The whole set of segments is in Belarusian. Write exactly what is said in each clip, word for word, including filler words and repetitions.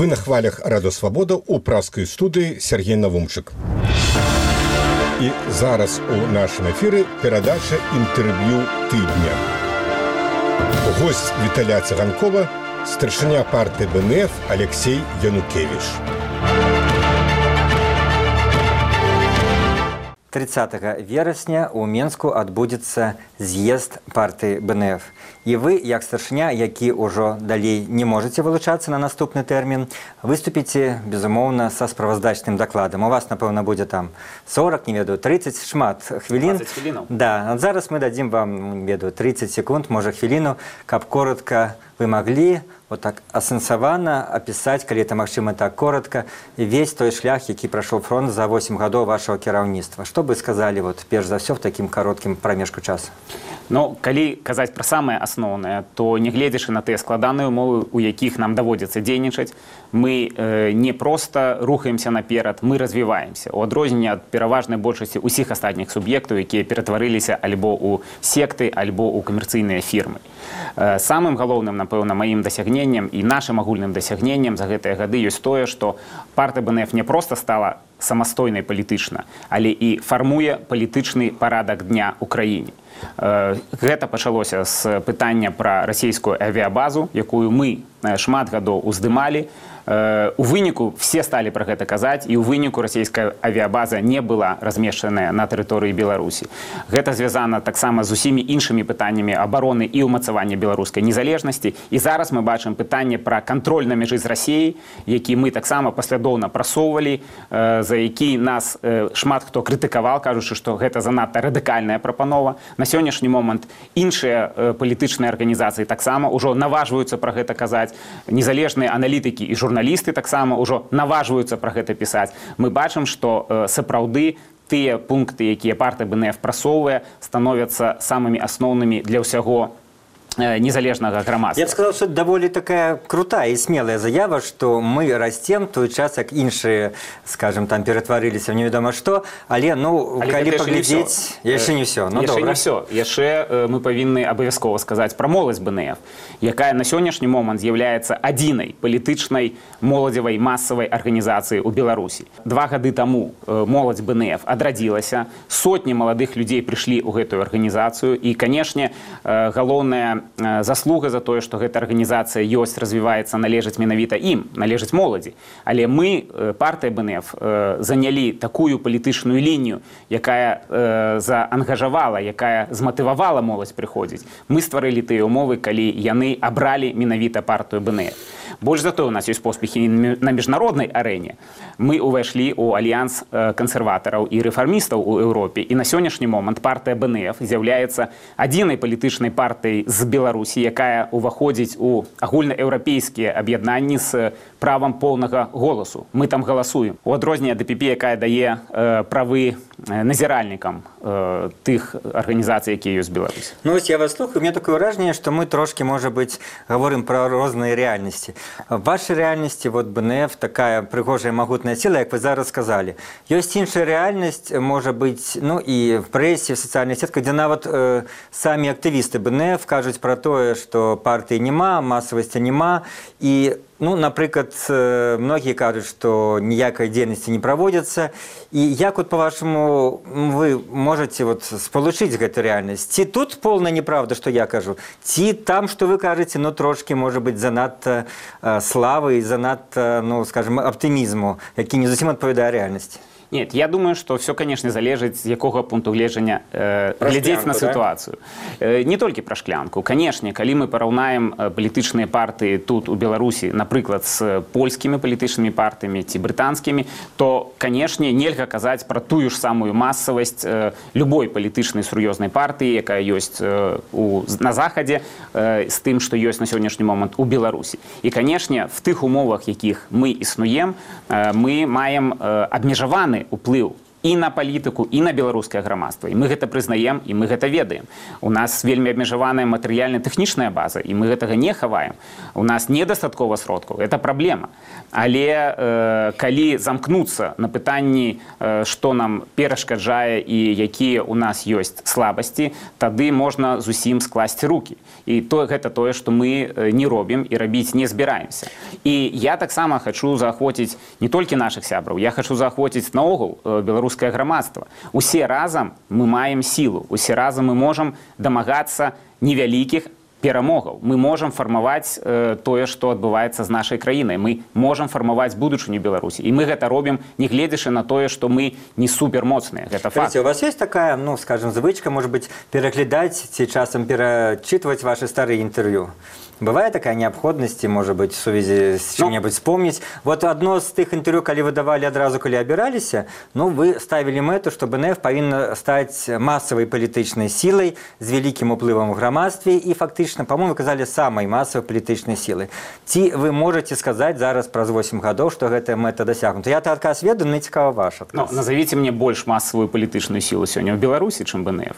Вы на хвалях Радио Свобода у праскай студыі Сергей Навумчык. І зараз у нашым эфіры перадача інтэрв'ю тыдня. Гость Віталя Цыганкова, старшыня партыі бэ эн эф Алексей Янукевич. тридцатого верасня у Менску адбудзецца з'езд партыі бэ эн эф. І вы, як старшыня, які ўжо далей не можаце вылучацца на наступны тэрмін, выступіце, безумоўна, са справаздачным дакладам. У вас, напэўна, будзе там сорок, не ведаю, тридцать, шмат хвілін. двадцать хвілінаў. Да, зараз мы дадзім вам, не ведаю, тридцать секунд, можа хвіліну, каб коротка вы маглі вот так асэнсавана апісаць, калі это магчыма так коротка, весь той шлях, які прайшоў фронт за восемь гадоў вашего кіраўніцтва. Што бы сказалі, вот, перш за ўсё, в такім кароткім прамежку часу? Ну, калі казаць пра самае асноўнае, то не гледзячы на тыя складаныя умовы, у якіх нам даводзіцца дзейнічаць, мы э, не проста рухаемся наперад, мы развіваемся. У адрозненне ад пераважнай большасці ўсіх астатніх суб'ектаў, якія ператварыліся альбо ў секты, альбо ў камерцыйныя фірмы. Э, самым галоўным, напэўна, маім дасягненнем і нашым агульным дасягненнем за гэтыя гады ёсць тое, што партыя бэ эн эф не проста стала самастойнай палітычна, але і фармуе палітычны парадак дня ў краіне. Гэта пачалося з пытання пра расійскую авіябазу, якую мы шмат гадоў уздымалі. У выніку все сталі пра гэта казаць, і ў выніку расійская авіябаза не была размешчаная на тэрыторыі Беларусі. Гэта звязана таксама з усімі іншымі пытаннямі абароны і ўмацавання беларускай незалежнасці. І зараз мы бачым пытанне пра кантроль на мяжы з Расіяй, які мы таксама паслядоўна прасоўвалі, за які нас шмат хто крытыкаваў, кажучы, што гэта занадта радыкальная прапанова. На сённяшні момант іншыя палітычныя арганізацыі таксама ўжо наважваюцца пра гэта казаць. Незалежныя аналітыкі і журналісты Журналісты таксама ўжо наважваюцца пра гэта пісаць. Мы бачым, што э, сапраўды тыя пункты, якія партыя бэ эн эф прасоўвае, становяцца самымі асноўнымі для ўсяго незалежнага грамадства. Я б сказал, что это довольно такая крутая и смелая заява, что мы растем той час, как іншие, скажем, там ператварились в неведомо что, але, ну, але калі поглядеть, яшчэ не все. Ну, яшчэ не все. Яшчэ мы павінны абавязкова сказаць пра моладзь бэ эн эф, якая на сённяшні момант з'яўляецца адзінай палітычнай моладзевай масавай арганізацыі ў Беларусі. Два гады таму моладзь бэ эн эф адрадзілася, сотні маладых людзей прыйшлі ў гэтую арганізацыю, і, канешне, галоўная заслуга за тое, што гэта арганізацыя ёсць, развіваецца, належыць менавіта ім, належыць моладзі. Але мы, партыя бэ эн эф, занялі такую палітычную лінію, якая заангажавала, якая зматывавала моладзь прыходзіць. Мы стварылі тыя ўмовы, калі яны абралі менавіта партыю бэ эн эф. Больш за тое, у нас ёсць поспехі на міжнароднай арэне. Мы ўвайшлі ў альянс кансерватараў і рэфармістаў у Еўропе, і на сённяшні момант партыя бэ эн эф з'яўляецца адзінай палітычнай партыяй з Беларусі, якая ўваходзіць у агульнаеўрапейскія аб'яднанні з правам поўнага голасу. Мы там галасуем. У адрозненне ад ДПП, якая дае э, правы назіральнікам э, тых арганізацый, якія ёсць Беларусі. Ну, вось я вас слухаю, у меня такое ўражанне, што мы трошки, можа быць, гаворым пра розныя рэальнасці. В вашай рэальнасці, вот бэ эн эф, такая прыгожая магутная сила, як вы зараз сказалі. Ёсць іншая рэальнасць, можа быць, ну, і в прэсе, в сацыяльных сетках, дзе нават э, самі актывісты бэ эн эф кажуць пра тое, што партыі няма, масавасці няма, і ну, напрыклад, многія кажуць, што ніякай дзейнасці не праводзяцца. І як, вот, па-вашаму, вы можаце вот, спалучыць гэту рэальнасць? Ці тут полная неправда, што я кажу? Ці там, што вы кажаце, ну, трошки, можа быць, занадта э, славы і занадта, ну, скажем, аптымізму, які не зусім адпавядае рэальнасці? Нет, я думаю, что все, конечно, залежит, з якога пункту гледжання э, глядзець на ситуацию. Да? Э, не только про шклянку. Конечно, калі мы параўнаем палітычныя партыі тут у Беларусі, напрыклад, з польскімі палітычнымі партыямі ці брытанскімі, то, конечно, нельга казаць пра тую ж самую масавасць э, любой палітычнай сур'ёзнай партыі, якая ёсць э, у, на Захадзе, э, з тым, што ёсць на сённяшні момант у Беларусі. І, конечно, в тых умовах, якіх мы існуем, э, мы маем э, абмежаваны уплыў і на палітыку, і на беларускае грамадства. І мы гэта прызнаем, і мы гэта ведаем. У нас вельмі абмежаваная матэрыяльна-тэхнічная база, і мы гэтага не хаваем. У нас недастаткова сродкаў. Гэта праблема. Але э, калі замкнуцца на пытанні, э, што нам перашкаджае і якія у нас ёсць слабасці, тады можна зусім скласці рукі. І то, гэта тое, што мы не робім і рабіць не збіраемся. І я таксама хачу заахвоціць не толькі нашых сябраў, я хачу заахвоціць наогул беларускае грамадства. Усе разам мы маем сілу, усе разам мы можам дамагацца невялікіх перамогаў. Мы можам фармаваць э, тое, што адбываецца з нашай краінай. Мы можам фармаваць будучыню Беларусі. І мы гэта робім, не гледзячы на тое, што мы не супермоцныя. Гэта факт. У вас есть такая, ну, скажем, звычка, может быть, переглядать, ці часам перечитывать ваши старые интервью? Бывает такая необходимость, может быть, в связи с чем-нибудь вспомнить? Вот одно з тых интервью, коли вы давали одразу, коли обирались, ну, вы ставили мету, что БНФ повинна стать массовой политичной силой с великим уплывом в громадстве и фактично, по-моему, казали, самой массовой политичной силой. Ці вы можете сказать зараз праз восемь годов, что эта мета досягнута? Я-то отказ веду, не цікаво ваш отказ. Ну, назовите мне больше массовую политичную силу сегодня в Беларуси, чем БНФ.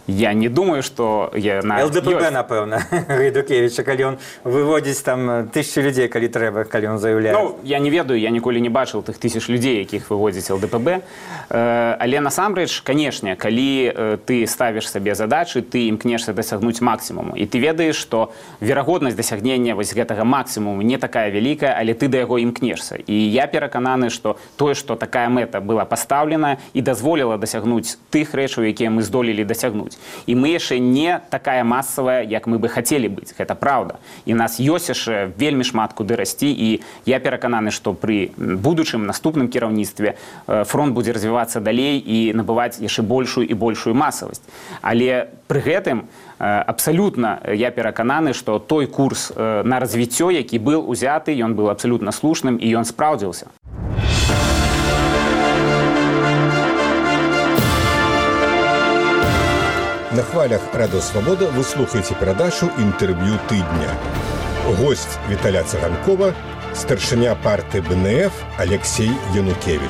Я не думаю, что я на... ЛДПП, напевно, Гайдукевича, коли он выводит там тысячи людей, коли треба, коли он заявляет. Ну, я не ведаю, я ніколі не бачыў тых тысяч людей, якіх выводзіць ЛДПБ. Але насамрэч, канешне, калі ты ставіш сабе задачы, ты імкнешся дасягнуць максімуму. І ты ведаеш, што верагоднасць дасягнення вось гэтага максімуму не такая вялікая, але ты да яго імкнешся. І я перакананы, што тое, што такая мэта была пастаўлена і дазволіла дасягнуць тых рэчаў, якія мы здолелі дасягнуць. І мы яшчэ не такая масавая, як мы бы хацелі быць. Гэта праўда. І нас ёсць яшчэ вельмі шмат куды расці. І я перакананы, што пры будучым наступным кіраўніцтве фронт будзе развівацца далей і набываць яшчэ большую і большую масавасць. Але пры гэтым абсалютна я перакананы, што той курс на развіццё, які быў узяты, ён быў абсалютна слушным і ён спраўдзіўся. На хвалях Радио Свобода вы слухаете передачу «Интервью тыдня». Гость Виталя Цыганкова, старшыня партии БНФ Алексей Янукевич.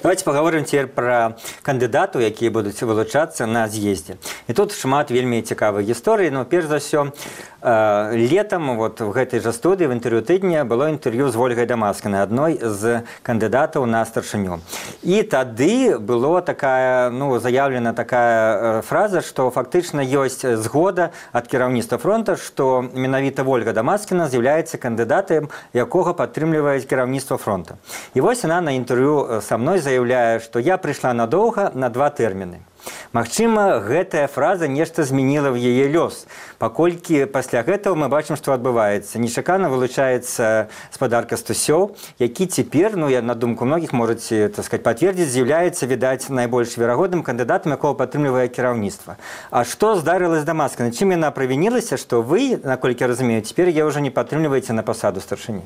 Давайте поговорим теперь про кандидатов, якія будут вылучаться на съезде. И тут шмат вельмі цікавых гісторый, но перш за все э, летом вот в этой же студии в интервью тыдня было интервью с Ольгой Дамаскиной, одной из кандидатов на старшыню. И тады было такая, ну, заявлена такая фраза, что фактично есть згода от кіраўніцтва фронта, что менавіта Ольга Дамаскина з'яўляецца кандидатом, якога падтрымлівае кіраўніцтва фронта. И вот она на интервью со мной заявляет, заявляе, што я прыйшла надоўга на два тэрміны. Магчыма, гэтая фраза нешта змяніла в яе лёс, паколькі пасля гэтага мы бачым, што адбываецца. Нечакана вылучаецца спадарка Стусёў, які цяпер, ну, я на думку многіх можаце, так сказать, пацвердзіць, з'яўляецца, відаць, найбольш верагодным кандыдатам, якога падтрымлівае кіраўніцтва. А што здарылася з Дамаскінай? Чым яна правінілася, што вы, наколькі я разумею, цяпер яе ўжо не падтрымліваеце на пасаду старшыні?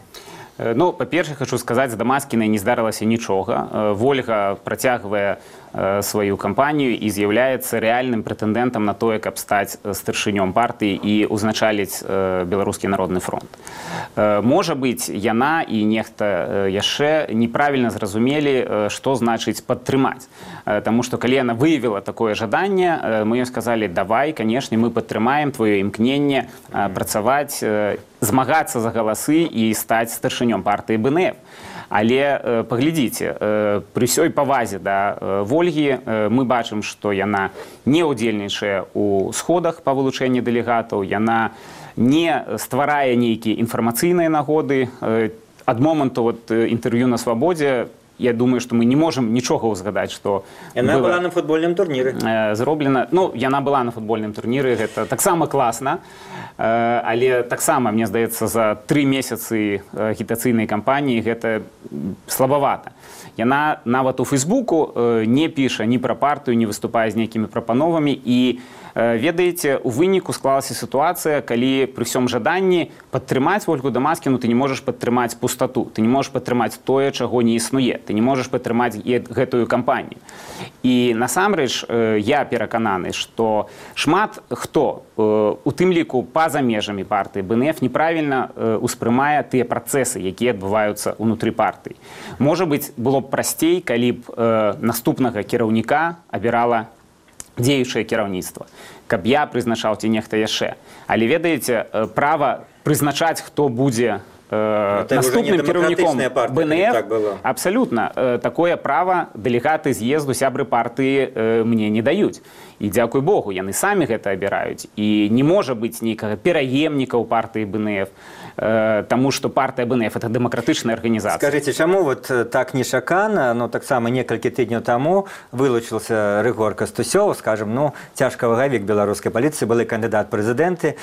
Ну, па-першае, хочу сказаць, з Дамаскінай не здарылася нічога. Вольга працягвае сваю кампанію і з'яўляецца рэальным прэтэндэнтам на тое, каб стаць старшынём партыі і ўзначаліць Беларускі народны фронт. Можа быць, яна і нехта яшчэ неправільна зразумелі, што значыць падтрымаць. Таму што калі яна выявіла такое жаданне, мы ёй сказалі: давай, канешне, мы падтрымаем твоё імкненне працаваць, змагацца за галасы і стаць старшынём партыі БНФ. Але паглядзіце, пры ўсёй павазе да Вольгі мы бачым, што яна не ўдзельнічае ў сходах па вылучэнні дэлегатаў, яна не стварае нейкія інфармацыйныя нагоды. Ад моманту вот інтэрв'ю на Свабодзе я думаю, што мы не можам нічога ўзгадаць, што яна была на футбольным турніры. Зроблена. Ну, яна была на футбольным турніры, гэта таксама класна, але таксама, мне здаецца, за тры месяцы агітацыйнай кампаніі гэта слабавата. Яна нават у Фейсбуку не піша ні пра партыю, не выступае з нейкімі прапановамі, і Ведаеце, у выніку склалася сітуацыя, калі пры ўсём жаданні падтрымаць Ольгу Дамаскіну ты не можаш падтрымаць пустату, ты не можаш падтрымаць тое, чаго не існуе, ты не можаш падтрымаць гэтую кампанію. І насамрэч я перакананы, што шмат хто, у тым ліку па-за межамі партыі бэ эн эф неправільна успрымае тыя працэсы, якія адбываюцца ўнутры партыі. Можа быць, было б прасцей, калі б наступнага кіраўніка абірала дзеючае кіраўніцтва, каб я прызначаў ці нехта яшчэ. Але ведаеце, права прызначаць, хто будзе э, наступным кіраўніком бэ эн эф, абсалютна, э, такое права дэлегаты з'езду, сябры партыі э, мне не даюць. І дзякуй Богу, яны самі гэта абіраюць. І не можа быць нейкага пераемніка ў партыі бэ эн эф, э, таму што партыя бэ эн эф – это дэмакратычная арганізацыя. Скажыце, чаму вот так нечакана, ну таксама некалькі тыдняў таму вылучыўся Рыгор Кастусёў, скажем, ну, цяжка вагавік беларускай паліцыі, былы кандыдат прэзідэнты.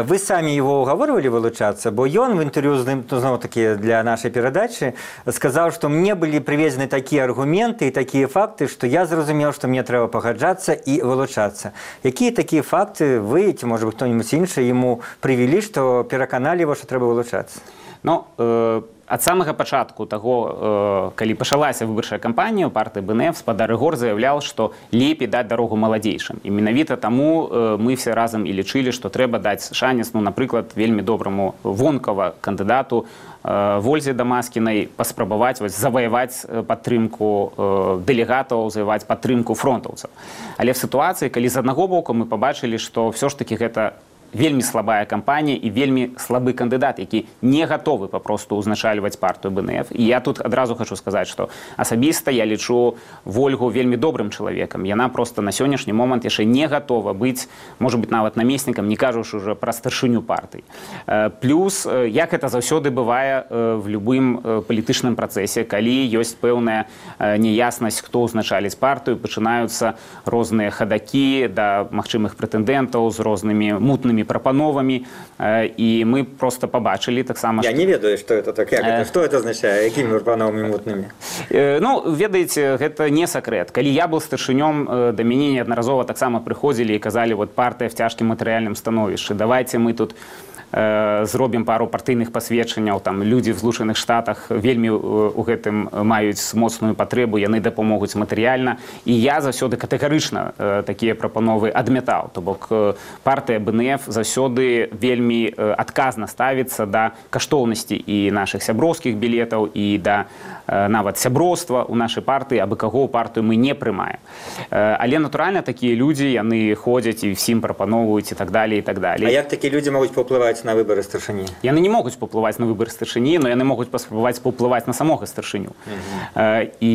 Вы самі его угаворвалі вылучацца, бо ён в інтэрв'ю з ім, зноў-такі для нашай перадачы, сказаў, што мне былі прывезены такія аргументы і такія факты, што я зразумеў, што мне трэба пагаджацца і вылучацца. Якія такія факты вы, ці, можа быць, хто-нибудь іншы яму прывялі, што пераканалі его, што трэба вылучацца? Ну, э, ад самага пачатку таго, э, калі пачалася выбарчая кампанія, партыя бэ эн эф, спадар Рыгор заяўляў, што лепей даць дарогу маладзейшым. І менавіта таму э, мы все разам і лічылі, што трэба даць шанец, ну, напрыклад, вельмі добраму вонкава кандыдату э, Вользе Дамаскінай паспрабаваць вось, заваяваць падтрымку э, дэлегатаў, заваяваць падтрымку фронтаўцаў. Але в сітуацыі, калі з аднаго боку мы пабачылі, што ўсё ж такі гэта вельмі слабая кампанія і вельмі слабы кандыдат, які не гатовы папросту ўзначальваць партыю бэ эн эф. І я тут адразу хочу сказаць, што асабіста я лічу Вольгу вельмі добрым чалавекам. Яна проста на сённяшні момант яшчэ не гатова быць, можа быць, нават намеснікам, не кажучы ўжо пра старшыню партыі. Плюс, як гэта заўсёды бывае в любым палітычным працэсе, калі ёсць пэўная неяснасць, хто ўзначаліць партыю, пачынаюцца розныя хадакі да магчымых прэтэндэнтаў з рознымі мутнымі прапановамі, і мы просто побачылі таксама. Я не ведаю, што это так, як это, што это азначае, якімі прапановамі мутнымі? Ну, ведаеце, гэта не сакрэт. Калі я быў старшынём, да мяне неаднаразова таксама прыходзілі і казалі, вот партыя в цяжкім матэрыяльным становішчы, давайте мы тут зробім пару партыйных пасведчанняў, там людзі в Злучаных Штатах вельмі у гэтым маюць моцную патрэбу, яны дапамогуць матэрыяльна, і я заўсёды катэгарычна такія прапановы адмятаў. То бок партыя бэ эн эф заўсёды вельмі адказна ставіцца да каштоўнасці і нашых сяброўскіх білетаў, і да нават сяброўства ў нашай партыі, абы каго ў партыю мы не прымаем. Але, натуральна, такія людзі, яны ходзяць і всім прапаноўваюць і так далее, і так далее. А як такія людзі могуць паўплываць на выборы старшыні? Яны не могуць паўплываць на выборы старшыні, но яны могуць паспрабаваць паўплываць на самога старшыню. І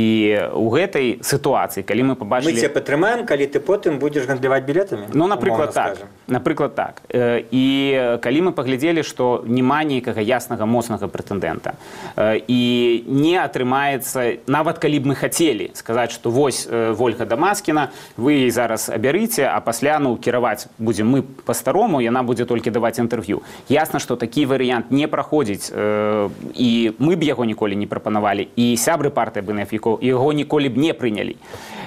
ў гэтай сітуацыі, калі мы пабачылі... Мы цябе падтрымаем, калі ты потым будзеш гандляваць білетамі? Ну, напрыклад, так. Напрыклад, так. І калі мы паглядзелі, што няма нейкага яснага, моцнага прэтэндэнта, і не атрымаецца, нават калі б мы хацелі сказаць, што вось Вольга Дамаскіна, вы зараз абярыце, а пасля, ну, кіраваць будзем мы па-старому, яна будзе толькі даваць інтэрв'ю. Ясна, што такі варыянт не праходзіць, э, і мы б яго ніколі не прапанавалі, і сябры партыі бэ эн эф яго ніколі б не прынялі.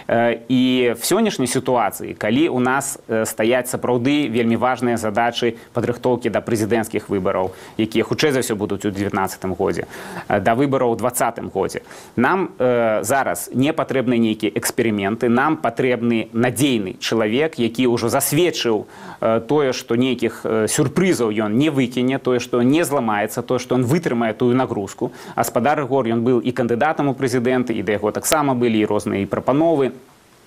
Э, і в сённяшняй сітуацыі, калі у нас э, стаяць сапраўды вельмі важныя задачы падрыхтоўкі да прэзідэнцкіх выбараў, якія хутчэй за ўсё будуць у девятнадцатым годзе, э, да выбараў у двадцатым годзе, нам э, зараз не патрэбны нейкія эксперыменты, нам патрэбны надзейны чалавек, які ўжо засведчыў э, тое, што нейкіх э, сюрпрызаў ён не выкіне, тое, што не зламаецца, тое, што ён вытрымае тую нагрузку. А спадар Рыгор, ён быў і кандыдатам у прэзідэнты, і да яго таксама былі і розныя прапановы,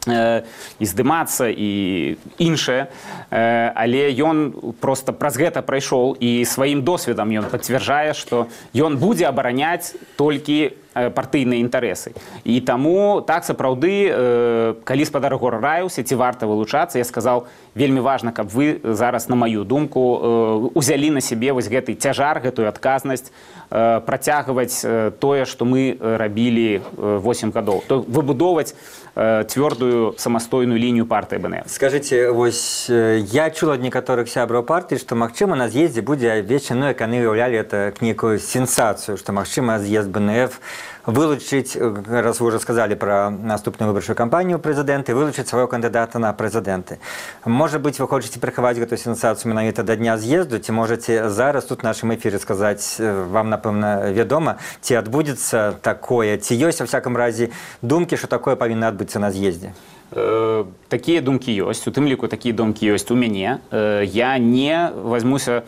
і здымацца, і іншае, але ён проста праз гэта прайшоў, і сваім досведам ён пацвярджае, што ён будзе абараняць толькі партыйныя інтарэсы. І таму так сапраўды, калі спадар Рыгор раіўся, ці варта вылучацца, я сказаў, вельмі важна, каб вы зараз, на маю думку, узялі на сябе вось гэты цяжар, гэтую адказнасць, працягваць тое, што мы рабілі восем гадоў. То выбудоўваць цвёрдую самастойную лінію партыі бэ эн эф. Скажыце, вось я чула ад некаторых сябраў партыі, што магчыма на з'ездзе будзе вечна, ну, як яны уяўлялі это нейкую сенсацыю, што магчыма з'езд бэ эн эф вылучить, раз вы уже сказали про наступную выборчую кампанию президента, вылучить своего кандидата на президенты. Может быть, вы хотите приховать эту сенсацию менавіта до дня з'езду, ці можете зараз тут в нашем эфире сказать, вам, напевно, ведомо, ці адбудзецца такое, ці ёсць, во всяком разе, думкі, что такое повинно адбыцца на з'езде? Э, такие думкі ёсць, у тым ліку такія думкі ёсць у мяне. Э, я не возьмуся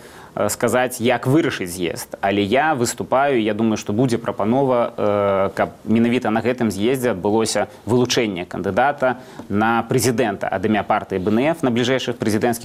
сказаць, як вырашыць з'езд, але я выступаю, я думаю, што будзе прапанова, э, каб менавіта на гэтым з'ездзе адбылося вылучэнне кандыдата на прэзідэнта ад імя партыі БНФ на бліжэйшых прэзідэнцкіх